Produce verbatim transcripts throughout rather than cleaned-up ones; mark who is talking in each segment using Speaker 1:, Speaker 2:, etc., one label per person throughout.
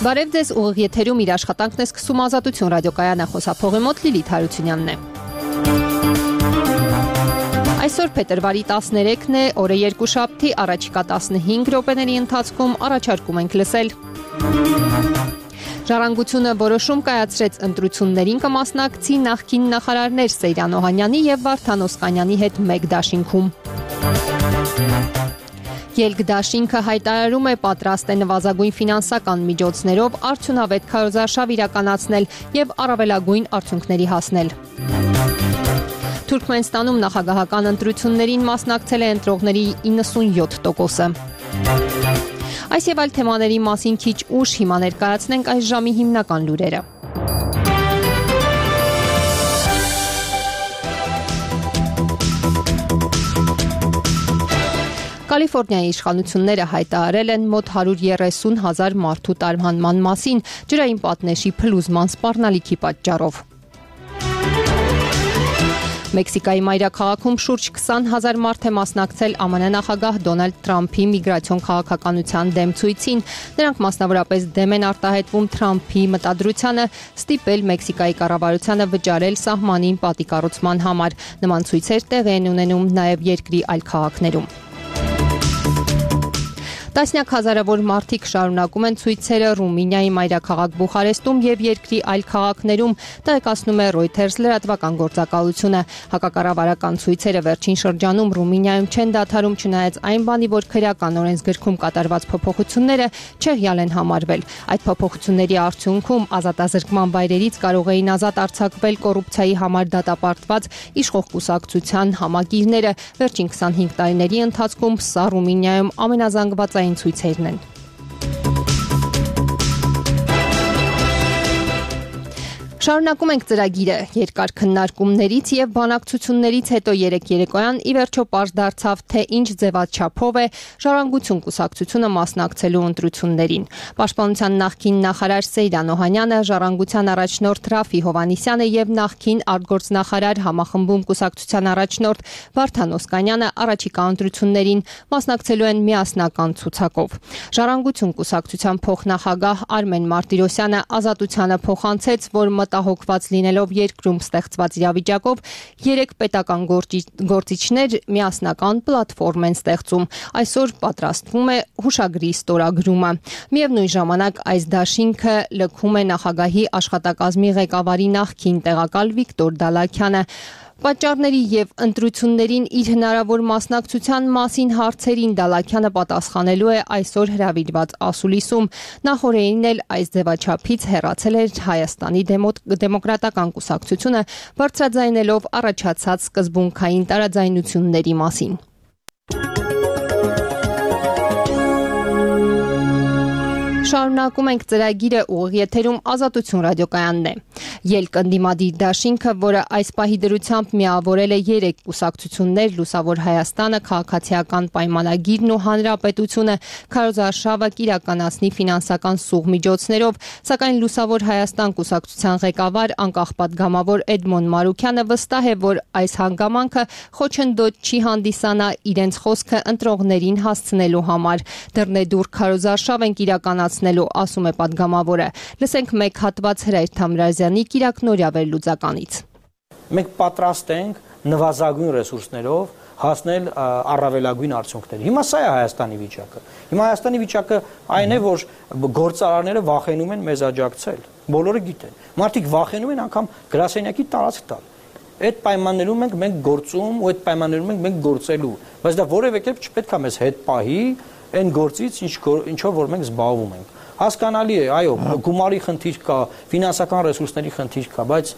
Speaker 1: Բարև ձեզ, ուղիղ եթերում իր աշխատանքն է սկսում Ազատություն ռադիոկայանը, խոսափողի մոտ Լիլիթ Հարությունյանն է։ Այսօր փետրվարի տասներեքն է, օրը երկուշաբթի, առաջիկա տասնհինգ րոպեների ընթացքում առաջարկում ենք լսել։ Ժառանգությունը որոշում կայացրեց ընտրություններին կմասնակցի նախկին նախարարներ Սեյրան Օհանյանի և Վարդան Օսկանյանի հետ մեկ դաշինքում։ Ելք դաշինքը հայտարարում է պատրաստ է նվազագույն ֆինանսական միջոցներով արդյունավետ քարոզարշավ իրականացնել և առավելագույն արդյունքների հասնել։ Թուրքմենստանում նախագահական ընտրություններին մասնակցել է ընտրողների իննսունյոթ տոկոսը։ Այս և այլ թեմաների մասին քիչ ուշ, հիմա ներկայացնենք այս ժամի հիմնական լուրերը։ Կալիֆորնիայի իշխանությունները հայտարարել են մոտ հարյուր երեսուն հազար մարդու տարհանման մասին ջրային պատնեշի փլուզման սպառնալիքի պատճառով։ Մեքսիկայի մայրաքաղաքում շուրջ քսան հազար մարդ է մասնակցել ԱՄՆ նախագահ Դոնալդ Թրամփի միգրացիոն քաղաքականության դեմ ցույցին։ Նրանք մասնավորապես դեմ են արտահայտվում Թրամփի մտադրությանը ստիպել Մեքսիկայի կառավարությանը վճարել սահմանին պատի կառուցման համար։ Նման ցույցեր տեղի են ունենում նաև երկրի այլ քաղաքներում։ Տասնյակ հազարավոր մարդիկ շարունակում են ցույցերը Ռումինիայի մայրաքաղաք Բուխարեստում և երկրի այլ քաղաքներում, տեղեկացնում է Reuters լրատվական գործակալությունը։ Հակակառավարական ցույցերը վերջին շրջանում Ռումինիայում չեն դադարում, չնայած այն բանի, որ քրեական օրենսգրքում կատարված փոփոխությունները չեղյալ են համարվել։ Այդ փոփոխությունների արդյունքում ազատազրկման վայրերից կարող էին ազատ արձակվել կոռուպցիայի համար դատապարտված իշխող կուսակցության համակիրները։ Վերջին քսանհինգ տարիների ընթացքում սա Ռումինիայում ամենազանգված ցույցերն են։ Շարունակում ենք ծրագիրը։ Երկար քննարկումներից և բանակցություններից հետո երեկ երեկոյան ի վերջո պարզ դարձավ, թե ինչ ձևաչափով է Ժառանգություն կուսակցությունը մասնակցելու ընտրություններին։ Պաշտպանության նախկին նախարար Սեյրան Օհանյանը, Ժառանգության առաջնորդ Ռաֆի Հովհաննիսյանը և նախկին արտգործնախարար համախմբում կուսակցության առաջնորդ Վարդան Օսկանյանը առաջիկա ընտրություններին մասնակցելու են միասնական ցուցակով։ Ժառանգություն կուսակցության փոխնախագահ Արմեն Մարտիրոսյանը Ազատությանը փոխանցեց, որ մտահոգված լինելով երկրում ստեղծված իրավիճակով, երեք պետական գործիչներ միասնական պլատֆորմ են ստեղծում։ Այսօր պատրաստվում է հուշագրի ստորագրումը։ Միևնույն ժամանակ այս դաշինքը լքում է նախագահի աշխատակազմի ղեկավարի նախկին տեղակալ Վիկտոր Դալաքյանը։ Պատճառների և ընտրություններին իր հնարավոր մասնակցության մասին հարցերին Դալաքյանը պատասխանելու է այսօր հրավիրված ասուլիսում։ Նախօրեին էլ այս ձևաչափից հեռացել էր Հայաստանի դեմոկրատական կուսակցությունը, բարձրաձայնելով առաջացած սկզբունքային տարաձայնությունների մասին։ Շարունակում ենք ծրագիրը, ուղիղ եթերում Ազատություն ռադիոկայանն է։ Ելք ընդդիմադիր դաշինքը, որը այս պահի դրությամբ միավորել է երեք կուսակցություններ՝ Լուսավոր Հայաստանը, Քաղաքացիական պայմանագիրն ու Հանրապետությունը, քարոզարշավը կիրականացնի ֆինանսական սուղ միջոցներով, սակայն Լուսավոր Հայաստան կուսակցության ղեկավար անկախ պատգամավոր Էդմոն Մարուքյանը վստահ է, որ այս հանգամանքը խոչընդոտ չի հանդիսանա իրենց խոսքը ընտրողներին հասցնելու համար։ Դռնեդուռ քարոզարշավ ենք իրականացնելու, ասում է պատգամավորը։ Լսենք մեկ հատված Հրայր Թամրազյանի կիրակնօրյա վերլուծականից։
Speaker 2: Մենք պատրաստ ենք նվազագույն ռեսուրսներով հասնել առավելագույն արդյունքների։ Հիմա սա է Հայաստանի վիճակը։ Հիմա Հայաստանի վիճակը այն է, որ գործարանները վախենում են մեզ աջակցել։ Բոլորը գիտեն։ Մարդիկ վախենում են անգամ գրասենյակի տարածք տալ։ Այդ պայմաններում ենք մենք գործում ու այդ պայմաններում ենք մենք գործելու։ Բայց դա որևէ կերպ չպետք է մեզ հետ պահի այն գործից, ինչով որ մենք զբաղվում ենք։ Հասկանալի է, այո, գումարի խնդիր կա, ֆինանսական ռեսուրսների խնդիր կա, բայց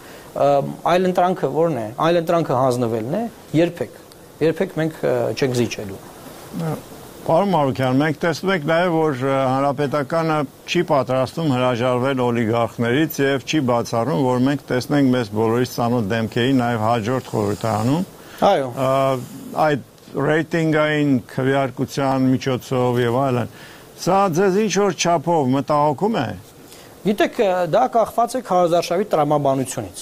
Speaker 2: այլ ընտրանքը ո՞րն է։ Այլ ընտրանքը հանձնվելն է, երբեք, երբեք մենք չենք զիջելու։
Speaker 3: Պարոն Մարուքյան, մենք տեսնում ենք նաև, որ հանրապետականը չի պատրաստում հրաժարվել օլիգարխներից եւ չի բացառում, որ մենք տեսնենք մեզ բոլորից ծանոթ դեմքերի նաև հաջորդ խորհրդարանում։
Speaker 2: Այո։
Speaker 3: Այդ ռեյտինգային քվեարկության միջոցով եւ այլն։ Սա ձեզ ինչ որ չափով մտահոգում է։
Speaker 2: Գիտեք, դա կախված է քարոզարշավի տրամաբանությունից։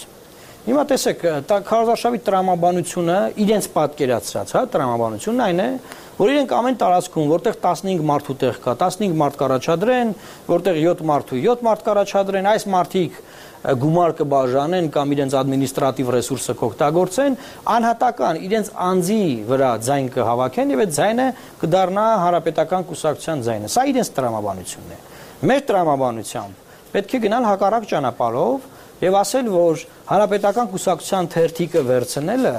Speaker 2: Հիմա տեսեք, քարոզարշավի տրամաբանությունը իրենց պատկերացրած, հա, տրամաբանությունն այն է, որ իրենք ամեն տարածքում, որտեղ տասնհինգ մարդու տեղ կա, տասնհինգ մարդ կառաջադրեն, որտեղ յոթ մարդու յոթ մարդ կառաջադրեն, այս մարդիկ գումար կբաժանեն կամ իրենց ադմինիստրատիվ ռեսուրսը կօգտագործեն, անհատական իրենց անձի վրա ձայն կհավաքեն եւ այդ ձայնը կդառնա հանրապետական կուսակցության ձայնը։ Սա իրենց տրամաբանությունն է։ Մեր տրամաբանությամբ պետք է գնալ հակառակ ճանապարհով եւ ասել, որ հանրապետական կուսակցության թերթիկը վերցնելը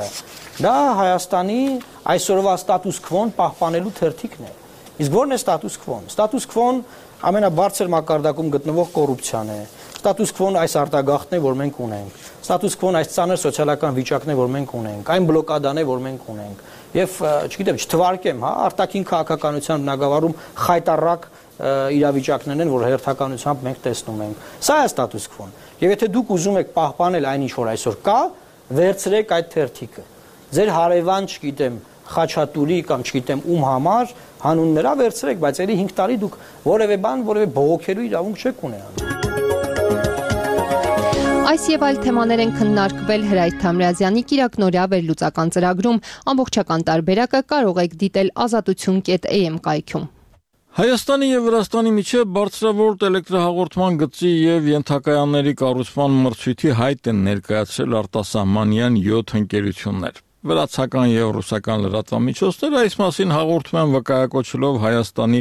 Speaker 2: դա Հայաստանի այսօրվա ստատուս քվոն պահպանելու թերթիկն է։ Իսկ ո՞րն է ստատուս քվոն։ Ստատուս քվոն ամենաբարձր մակարդակում գտնվող կոռուպցիան է։ Ստատուս քվոն այս արտագաղթն է, որ մենք ունենք։ Ստատուս քվոն այս ծանր սոցիալական վիճակն է, որ մենք ունենք։ Այն բլոկադան է, որ մենք ունենք։ Եվ չգիտեմ, չթվարկեմ, հա, արտաքին քաղաքականության բնագավառում խայտառակ իրավիճակներն են, որ հերթականությամբ մենք տեսնում ենք։ Սա է ստատուս քվոն։ Եվ եթե դուք ուզում եք պահպանել այն, ինչ որ այսօր կա, վերցրեք այդ թերթիկը։ Ձեր հարևան, չգիտեմ, Խաչատուրի կամ չգիտեմ ում համար հանուն նրա վերցրեք, բայց ելի հինգ տարի դուք որևէ բան, որևէ բողոքելու իրավունք չեք ունենալու։
Speaker 1: Այս եւ այլ թեմաներ են քննարկվել Հրայր Թամրազյանի Կիրակնօրյա վերլուծական ծրագրում։ Ամբողջական տարբերակը կարող եք դիտել ազատություն կետ էյ էմ կայքում։
Speaker 4: Հայաստանի եւ Վրաստանի միջև բարձրավոլտ էլեկտրահաղորդման գծի եւ ենթակայանների կառուցման մրցույթի հայտ են ներկայացրել արտասահմանյան յոթ ընկերություններ։ Վրացական եւ ռուսական լրատվամիջոցները այս մասին հաղորդում են վկայակոչելով Հայաստանի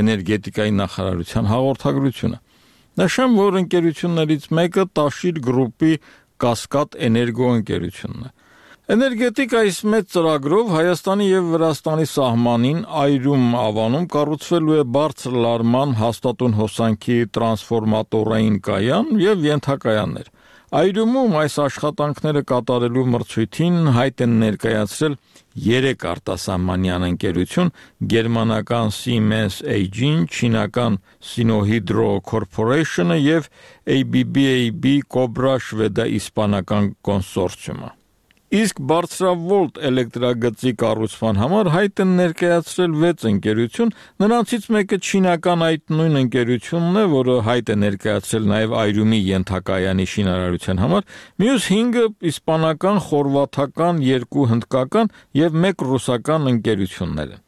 Speaker 4: էներգետիկայի նախարարության հաղորդագրությունը։ Նշեմ, որ ընկերություններից մեկը Տաշիր գրուպի Կասկադ էներգո ընկերությունն է։ Էներգետիկ այս մեծ ծրագրով Հայաստանի եւ Վրաստանի սահմանին Այրում ավանում կառուցվելու է բարձր լարման հաստատուն հոսանքի տրանսֆորմատորային կայան եւ ենթակայաններ։ Այրումում այս աշխատանքները կատարելու մրցույթին հայտ են ներկայացրել երեք արտասահմանյան ընկերություն՝ գերմանական Siemens έι ջի-ն, չինական Sinohydro Corporation-ը եւ էյ բի բի էյ բի Cobra շվեդա-իսպանական կոնսորցիումը։ Իսկ բարձրավոլտ էլեկտրագծի կառուցման համար հայտ են ներկայացրել վեց ընկերություն, նրանցից մեկը չինական այդ նույն ընկերությունն է, որը հայտ է ներկայացրել նաև Այրումի ենթակայանի շինարարության համար, մյուս հինգը իսպանական, խորվաթական, երկու հնդկական եւ մեկ ռուսական ընկերություններ են։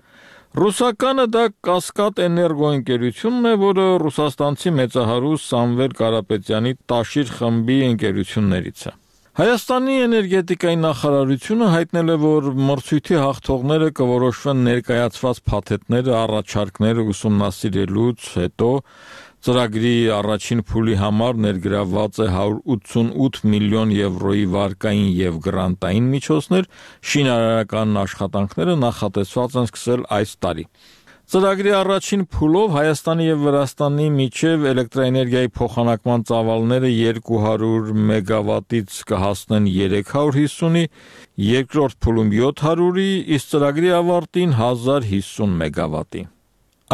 Speaker 4: Ռուսականը դա Կասկադ էներգո ընկերությունն է, որը ռուսաստանցի մեծահարուստ Սամվել Կարապետյանի Տաշիր խմբի ընկերություններից է։ Հայաստանի էներգետիկայի նախարարությունը հայտնել է, որ մրցույթի հաղթողները կորոշվեն ներկայացված փաթեթները, առաջարկները ուսումնասիրելուց հետո ծրագրի առաջին փուլի համար ներգրավված է հարյուր ութսունութ միլիոն եվրոյի վարկային եւ գրանտային միջոցներ, շինարարական աշխատանքները նախատեսված են սկսել այս տարի։ Ծրագրի առաջին փուլով Հայաստանի եւ Վրաստանի միջև էլեկտրաէներգիայի փոխանակման ծավալները երկու հարյուր մեգավատից կհասնեն երեք հարյուր հիսունի, երկրորդ փուլում յոթ հարյուրի, իսկ ծրագրի ավարտին հազար հիսուն մեգավատի։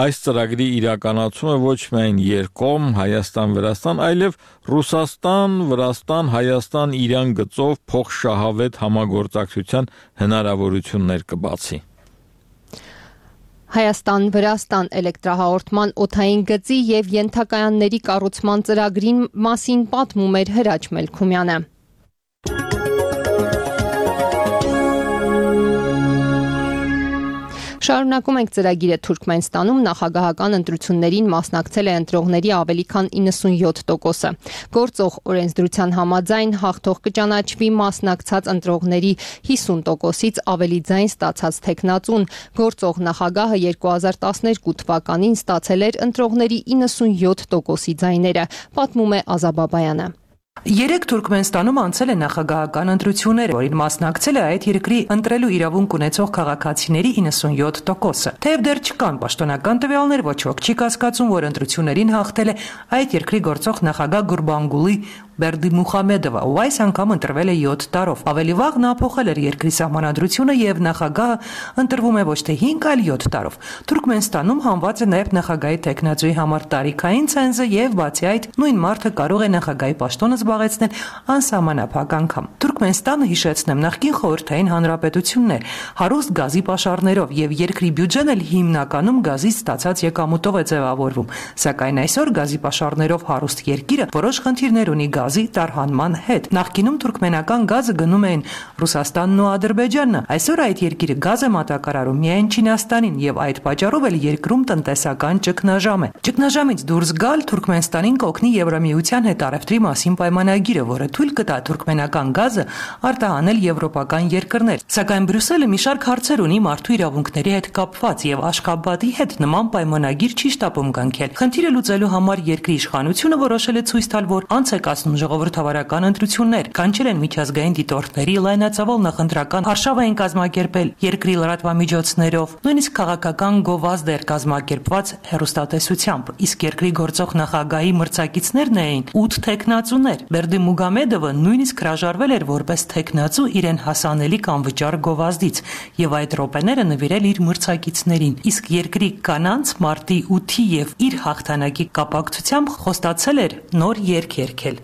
Speaker 4: Այս ծրագրի իրականացումը ոչ միայն երկկողմ Հայաստան-Վրաստան, այլև Ռուսաստան-Վրաստան-Հայաստան-Իրան գծով փոխշահավետ համագործակցության հնարավորություններ կբացի։
Speaker 1: Հայաստան-Վրաստան էլեկտրահաղորդման օդային գծի եւ ենթակայանների կառուցման ծրագրին մասին պատմում էր Հրաչ Մելքումյանը։ Շարունակում ենք ծրագիրը Թուրքմենստանում նախագահական ընտրություններին մասնակցել է ընտրողների ավելի քան իննսունյոթ տոկոսը։ Գործող օրենսդրության համաձայն հաղթող կճանաչվի մասնակցած ընտրողների հիսուն տոկոսից ավելի ձայն ստացած թեկնածուն։ Գործող նախագահը երկու հազար տասներկու թվականին ստացել էր ընտրողների իննսունյոթ տոկոսի ձայները, պատմում է Ազաբաբայանը։
Speaker 5: Երեք Թուրքմենստանում անցել է նախագահական ընտրություններ, որին մասնակցել է այդ երկրի ընտրելու իրավունք ունեցող քաղաքացիների իննսունյոթ տոկոսը։ Թեև դեռ չկան պաշտոնական տվյալներ, ոչ ոք չի կասկածում, որ ընտրություններին հաղթել է այդ երկրի գործող նախագահ Գուրբանգուլի Բերդիմուխամեդովը, ով այս անգամ ընտրվել է յոթ տարով։ Ավելի վաղ նա փոխել էր երկրի սահմանադրությունը եւ նախագահը ընտրվում է ոչ թե հինգ, այլ յոթ տարով։ Թուրքմենստանում հանված է նաեւ նախագահի տեխնացուի համար տարիքային ցենզը եւ բացի այդ նույն մարդը կարող է նախագահի պաշտոնը զբաղեցնել անսահմանափակ անգամ։ Թուրքմենստանը, հիշեցնեմ, նախկին խորհրդային հանրապետությունն էր, հարուստ գազի պաշարներով եւ երկրի բյուջեն էլ հիմնականում գազից ստացած եկամուտով է ձևավորվում։ Սակայն այսօր գազի պաշարներով հարուստ երկիրը որոշ խնդիրներ ունի գազի տարհանման հետ։ Նախկինում թուրքմենական գազը գնում էին Ռուսաստանն ու Ադրբեջանը, այսօր այդ երկիրը գազ է մատակարարում միայն Չինաստանին եւ այդ պատճառով էլ երկրում տնտեսական ճգնաժամ է։ Ճգնաժամից դուրս գալ Թուրքմենստանին կօգնի Եվրամիության հետ առևտրի մասին պայմանագիրը, որը թույլ կտա թուրքմենական գազը արտահանել եվրոպական երկրներ։ Սակայն Բրյուսելը մի շարք հարցեր ունի մարդու իրավունքների հետ կապված եւ Աշխաբադի հետ նման պայմանագիր չի շտապում կնքել։ Խնդիրը լուծելու համար երկրի իշխանությունը որոշել է ցույց տալ, որ անց է կացնում ժողովրդավարական ընտրություններ, կանչել են միջազգային դիտորդների, լայնածավալ նախընտրական արշավ էին կազմակերպել երկրի լրատվամիջոցներով, նույնիսկ քաղաքական գովազդ էր կազմակերպված հեռուստատեսությամբ, իսկ երկրի գործող նախագահի մրցակիցներն էին ութ թեկնածուներ։ Բերդիմուգամեդովը նույնիսկ հրաժարվել էր որպես թեկնածու իրեն հասանելիք անվճար գովազդից եւ այդ րոպեները նվիրել իր մրցակիցներին, իսկ երկրի կանանց մարտի ութի եւ իր հաղթանակի կապակցությամբ խոստացել էր նոր երգ երգել։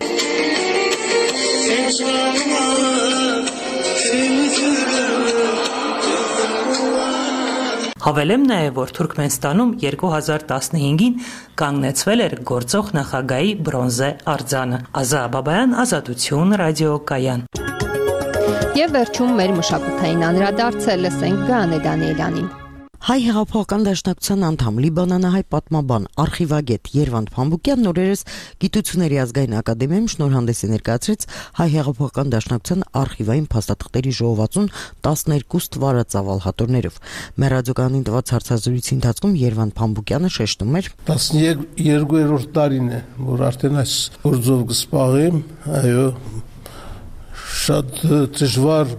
Speaker 5: Հավելեմ նաև, որ Թուրքմենստանում երկու հազար տասնհինգին կանգնեցվել էր գործող նախագահի բրոնզե արձանը։ Ազա Բաբայան, Ազատություն, ռադիոկայան։
Speaker 1: Եվ վերջում մեր մշակութային անդրադարձը լսենք Գաներ Դանիելյանին։
Speaker 6: Հայ հեղափոխական դաշնակցության անդամ, լիբանանահայ պատմաբան, արխիվագետ Երվանդ Փամբուկյանն օրերս Գիտությունների ազգային ակադեմիայում շնորհանդես է ներկայացրեց Հայ հեղափոխական դաշնակցության արխիվային փաստաթղթերի ժողովածուն տասներկու ստվարածավալ հատորներով։ Մեր ռադիոկայանին տված հարցազրույցի ընթացքում Երվանդ Փամբուկյանը շեշտում էր.
Speaker 7: տասներկուերորդ տարին է, որ արդեն այս գործով կսպաղեմ, այո, շատ դժվար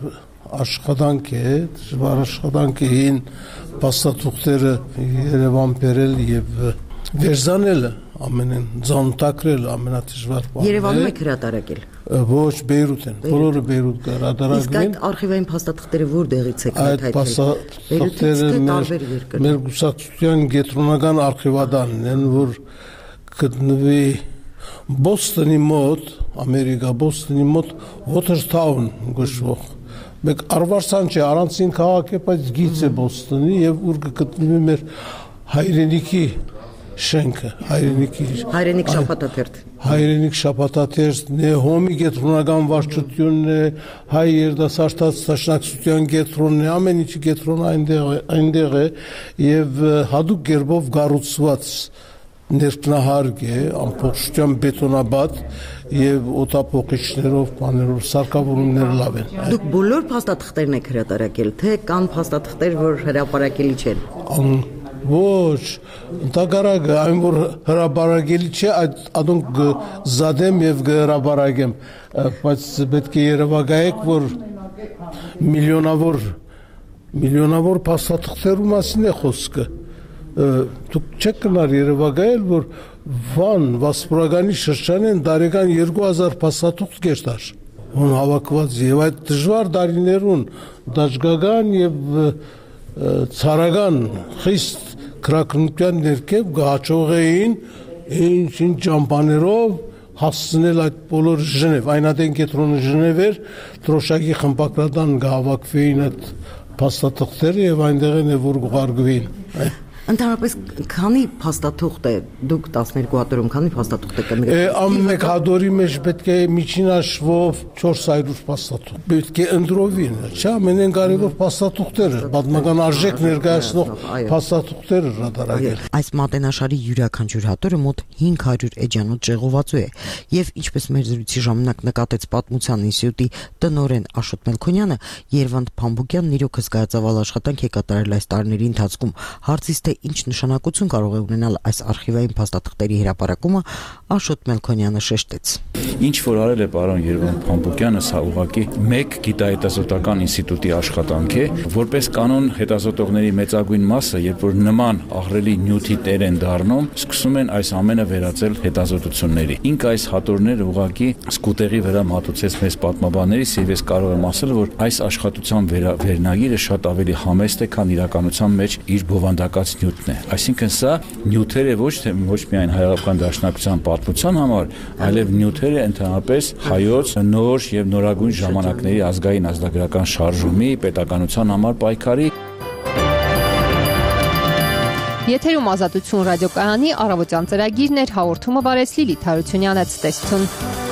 Speaker 7: աշխատանք է, դժվար աշխատանք էին փաստաթուղթերը Երևան բերել եւ վերզանել, ամենեն ձանտակրել ամենադժվար բանը։
Speaker 6: Երևանում եք հրատարակել։
Speaker 7: Ոչ, Բեյրութ են, բոլորը Բեյրութ հրատարակել։
Speaker 6: Իսկ այդ արխիվային փաստաթղթերը որտեղից եք
Speaker 7: այդ փաստաթղթերը մեր գուսակցության գետրոնական արխիվադանն են, որ գտնվի Բոստոնի մոտ, Ամերիկա Բոստոնի մոտ Watertown գշվող մեկ արվարսան չէ, առանցին քաղաք է, բայց գիծ է Բոստոնի եւ ուր գտնվի մեր հայրենիքի շենքը, հայրենիքի
Speaker 6: հայրենիք շաբաթաթերթ
Speaker 7: հայրենիք շաբաթաթերթ Նեհոմի գետրոնական վարչությունն է, հայ երդասարտած դաշնակցության գետրոնն է, ամեն ինչի գետրոնը այնտեղ է, այնտեղ է եւ հadoop գերբով գառուցված ներքնահարկ է, ամբողջությամբ բետոնաբադ եւ օտափողիչներով, բաներով, սարքավորումները լավ են։
Speaker 6: Դուք բոլոր փաստաթղթերն եք հրատարակել, թե կան փաստաթղթեր, որ հրապարակելի չեն։
Speaker 7: Ոչ, ընդհանրակը այն որ հրապարակելի չէ, այդ adonk զադեմ եւ հրապարակեմ, բայց պետք է երևակայեք, որ միլիոնավոր միլիոնավոր փաստաթղթերու մասին է խոսքը։ Դուք չեք կնար երևակայել, որ Վան Վասպուրականի շրջանեն տարեկան երկու հազար փաստաթուղթ կերտար։ Ուն հավաքված եւ այդ դժվար տարիներուն դաշգական եւ ցարական խիստ քրակնության ներքև գահաճող էին ինչ-ինչ ճամփաներով հասցնել այդ բոլոր Ժնև, այնատեն կետրոնը Ժնև էր, Թրոշակի խմբակրատան գահավաքվեին այդ փաստաթղթերը եւ այնտեղ են որ գուղարկվին։
Speaker 6: Ընդհանրապես քանի փաստաթուղթ է դուք տասներկու հատորում քանի փաստաթուղթ եք կնկարել։
Speaker 7: Ամեն հատորի մեջ պետք է միջին հաշվով չորս հարյուր փաստաթուղթ։ Պետք է ընդրովին, չէ՞, ամենեն կարևոր փաստաթուղթերը, պատմական արժեք ներկայացնող փաստաթուղթերը հրատարակել։
Speaker 6: Այս մատենաշարի յուրաքանչյուր հատորը մոտ հինգ հարյուր էջանոց ժողովածու է, եւ ինչպես մեր զրույցի ժամանակ նկատեց Պատմության ինստիտուտի տնօրեն Աշոտ Մելքոնյանը, Երվանդ Փամբուկյանն իրոք հսկայածավալ աշխատանք է կատարել այս տարիների ընթացքում։ Հարցից թե ինչ նշանակություն կարող է ունենալ այս արխիվային փաստաթղթերի հրապարակումը, Աշոտ Մելքոնյանը շեշտեց։
Speaker 8: Ինչ որ արել է պարոն Երվանդ Փամբուկյանը, սա ուղղակի մեկ գիտահետազոտական ինստիտուտի աշխատանք է, որպես կանոն հետազոտողների մեծագույն մասը, երբ որ նման ահռելի նյութի տեր են դառնում, սկսում են այս ամենը վերածել հետազոտությունների։ Ինք այս հատորները ուղղակի սկուտերի վրա մատուցեց մեզ պատմաբաններից, եւ ես կարող եմ ասել, որ այս աշխատության վերնագիրը շատ ավելի համեստ է, քան իրականության մեջ իր բովանդակած նյութն է։ Այսինքն սա նյութերը ոչ թե ոչ միայն հայկական դաշնակցության պատմության համար, այլև նյութերը ընդհանրապես հայոց նոր եւ նորագույն ժամանակների ազգային ազգագրական շարժումի, պետականության համար պայքարի։
Speaker 1: Եթերում Ազատություն ռադիոկայանի առավոտյան ծրագիրն էր, հաղորդումը վարեց Լիլիթ Հարությունյանը, ցտեսություն։